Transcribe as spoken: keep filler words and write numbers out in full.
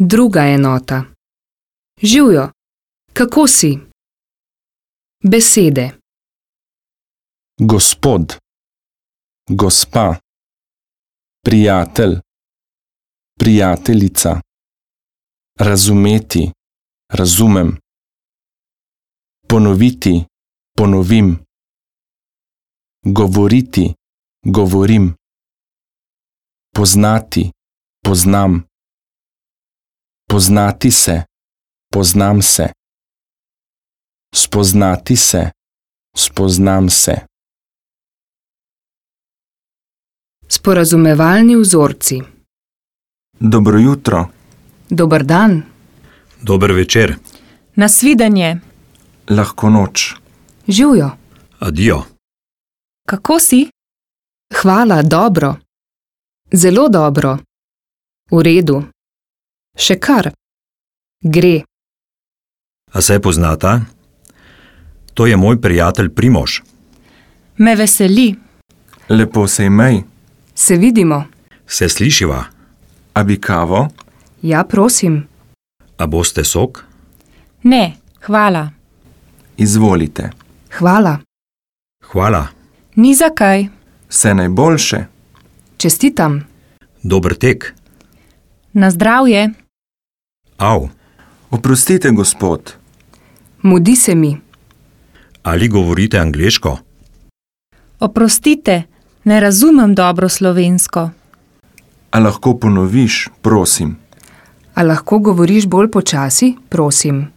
Druga enota. Živjo, kako si? Besede. Gospod, gospa, prijatelj, prijateljica, razumeti, razumem, ponoviti, ponovim, govoriti, govorim, poznati, poznam, poznati se, poznam se, spoznati se, spoznam se. Sporazumevalni vzorci. Dobro jutro. Dober dan. Dober večer. Nasvidenje. Lahko noč. Živjo. Adijo. Kako si? Hvala, dobro. Zelo dobro. V redu. Še kar. Gre. A se poznata? To je moj prijatelj Primož. Me veseli. Lepo se imej. Se vidimo. Se slišiva? A bi kavo? Ja, prosim. A boste sok? Ne, hvala. Izvolite. Hvala. Hvala. Ni zakaj. Vse najboljše. Čestitam. Dober tek. Na zdravje. Au. Oprostite, gospod. Mudi se mi. Ali govorite angleško? Oprostite, ne razumem dobro slovensko. A lahko ponoviš, prosim? A lahko govoriš bolj počasi, prosim?